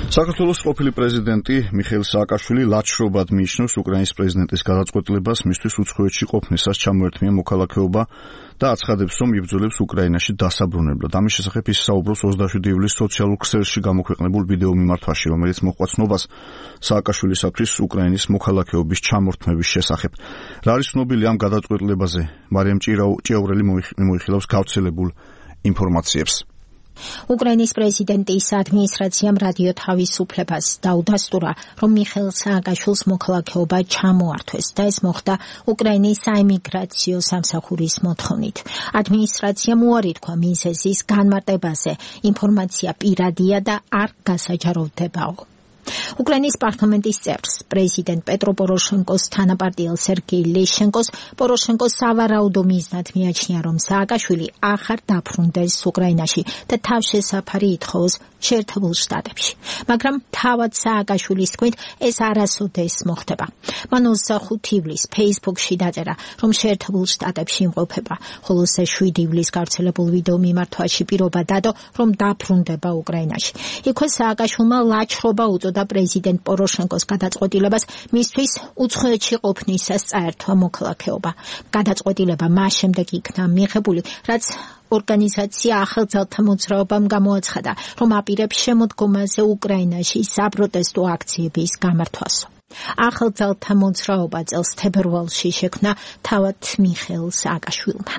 საქართველოს ყოფილი პრეზიდენტი მიხეილ სააკაშვილი ლაჩრობად მიიჩნევს უკრაინის პრეზიდენტის გადაწყვეტილებას მისთვის უცხოეთში ყოფნისას ჩამოერთმია მოქალაქეობა და აცხადებს, რომ იბრძოლებს უკრაინაში დასაბრუნებლად. ამის შესახებ ის საუბრობს 27 ივლისს სოციალურ ქსელში გამოქვეყნებულ ვიდეო მიმართვაში, რომელიც მოჰყვა ცნობას სააკაშვილისათვის უკრაინის მოქალაქეობის ჩამორთმევის შესახებ. რა არის ცნობილი ამ გადაწყვეტილებაზე? მარიამ ჭიაურელი მოიხილავს გავრცელებულ ინფორმაციებს. უკრაინის პრეზიდენტის ადმინისტრაციამ რადიო თავისუფლებას დაუდასტურა, რომ მიხეილ სააკაშვილს მოქალაქეობა ჩამოართვეს და ეს მოხდა უკრაინის საიმიგრაციო სამსახურის მოთხოვნით. ადმინისტრაციამ უარი თქვა მიზეზის განმარტებაზე. ინფორმაცია პირადია და არ გასაჯაროვდებაო. უკრაინის პარლამენტის წევრს, პრეზიდენტ პეტრო პოროშენკოს თანაპარტიელ სერგეი ლეშენკოს პოროშენკო სავარაუდო მიზნად მიაჩნია, რომ სააკაშვილი ახარ დაბრუნდეს უკრაინაში და თავშესაფარი ითხოვოს შეერთებულ შტატებში. მაგრამ თავად სააკაშვილის თქმით, ეს არასოდეს მოხდება. მან 25 ივლისს ფეისბუქში დაწერა, რომ შეერთებულ შტატებში იმყოფება, ხოლო 7 ივლისს გავრცელებულ ვიდეო მიმართვაში პირობა დადო, რომ დაბრუნდება უკრაინაში. იქვე სააკაშვილმა ლაჩრობა უწოდა პრეზიდენტ პოროშენკოს გადაწყვეტილებას მისთვის უცხოეთში ყოფნისას წაერთვა მოქალაქეობა. გადაწყვეტილება მას შემდეგ იქნა მიღებული, რაც ორგანიზაცია ახალძალთა მოძრაობამ გამოაცხადა, რომ აპირებს შემოდგომაზე უკრაინაში საპროტესტო აქციების გამართვასო. ახალძალთა მოძრაობა წელს თებერვალში შექმნა თავად მიხეილ სააკაშვილმა.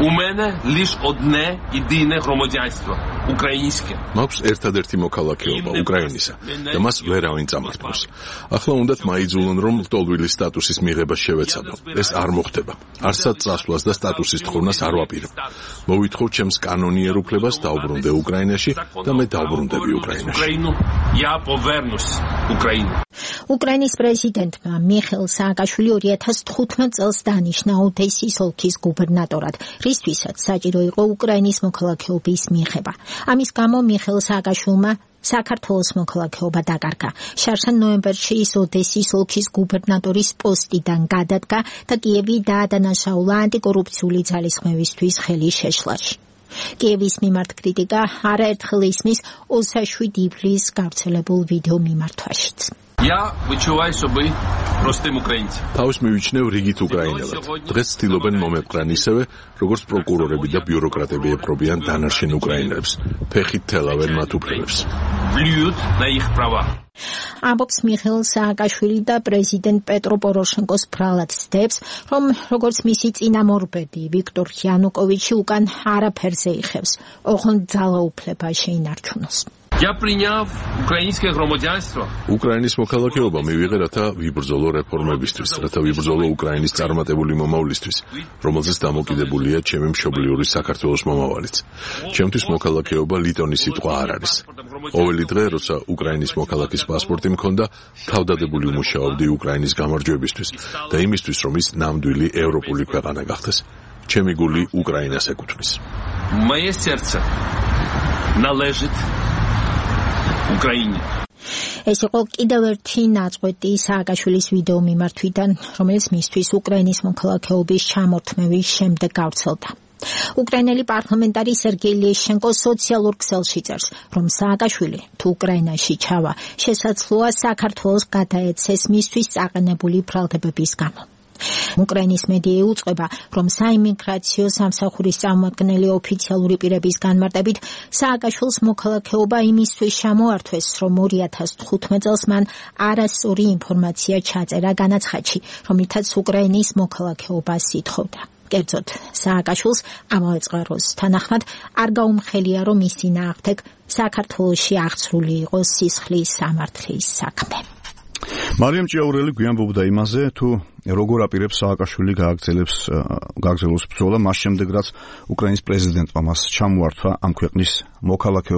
У мене лишь одне єдине громадянство українське. მაქვს ერთადერთი მოქალაქეობა უკრაინისა და მას ვერავინ წამართავს. ახლა უნდათ მაიძულონ, რომ ლტოლვილი სტატუსის მიღება შევეცადო. ეს არ მოხდება. არსად წასვლას და სტატუსის თხოვნას არ ვაპირებ. მოვითხოვ ჩემს კანონიერ უფლებას დავბრუნდე უკრაინაში და მე დავბრუნდები უკრაინაში. Я повернусь в Україну. უკრაინის პრეზიდენტმა მიხეილ სააკაშვილი 2015 წელს დანიშნა ოდესის ოლქის გუბერნატორად, რისთვისაც საჭირო იყო უკრაინის მოქალაქეობის მიღება. ამის გამო მიხეილ სააკაშვილმა საქართველოს მოქალაქეობა დაკარგა. შარშან ნოემბერში ის ოდესის ოლქის გუბერნატორის პოსტიდან გადადგა და კიევი დაადანაშაულა ანტიკორუფციული ძალისხმევისთვის ხელი შეშლაში. კიევის მიმართ კრიტიკა არაერთხელ ისმის 27 ივლისს გავრცელებულ ვიდეო მიმართვაშიც. Я відчуваю себе простим українцем. Თავის მივიჩნევ რიგით უკრაინელად. დღეს ცდილობენ მომეპყრან ისევე, როგორც პროკურორები და ბიუროკრატები ეპყრობიან დანარჩენ უკრაინელებს. ფეხით თელავენ მათ უფლებებს. Плюють на їх права. ამბობს მიხეილ სააკაშვილი და პრეზიდენტ პეტრო პოროშენკოს ბრალად ცდებს, რომ როგორც მისი წინამორბედი ვიქტორ იანუკოვიჩი უკან არაფერზე იხევს, ოღონდ ძალაუფლება შეინარჩუნოს. Я прийняв українське громадянство. უკრაინის მოქალაქეობა მივიღე, რათა ვიბრძოლო რეფორმებისთვის, რათა ვიბრძოლო უკრაინის წარმატებული მომავლისთვის, რომელზეც დამოკიდებულია ჩემი მშობლიური საქართველოს მომავალიც. ჩემთვის მოქალაქეობა ლიტონის სიტყვა არ არის. ყოველი დღე, როცა უკრაინის მოქალაქის პასპორტი მქონდა, თავდადებული ვმუშაობდი უკრაინის გამარჯვებისთვის და იმისთვის, რომ ის ნამდვილი ევროპული ქვეყანა გახდეს. ჩემი გული უკრაინას ეკუთვნის. Моє серце належить Україні. ეს იყო კიდევ ერთი ნაწყვეტი სააკაშვილის ვიდეო მიმართვიდან, რომელიც მისთვის უკრაინის მოქალაქეობის ჩამორთმევის შემდეგ გავრცელდა. უკრაინელი პარლამენტარი სერგეი ლეშენკო სოციალურ ქსელში წერს, რომ სააკაშვილი თუ უკრაინაში ჩავა, შესაძლოა საქართველოს გადაეცეს მისთვის წაყენებული ბრალდებების გამო. უკრაინის მედია უწყება, რომ საიმიგრაციო სამსახურის წარმომადგენელი ოფიციალური პირების განმარტებით სააკაშვილს მოქალაქეობა იმისთვის ჩამოართვეს, რომ 2015 წელს მან არასწორი ინფორმაცია ჩაწერა განაცხადში, რომლითაც უკრაინის მოქალაქეობას ითხოვდა. კერძოდ, სააკაშვილს ამავე წყაროს თანახმად არ გაუმხელია, რომ მის წინააღმდეგ საქართველოში აღწრული იყოს სისხლის სამართლის საქმე. მარიამ ჭიაურელი გვიანბობდა იმაზე, თუ როგორ აპირებს სააკაშვილი გააგრძელოს ბრძოლა მას შემდეგ, რაც უკრაინის პრეზიდენტმა მას ჩამოართვა ამ ქვეყნის მოქალაქეობა.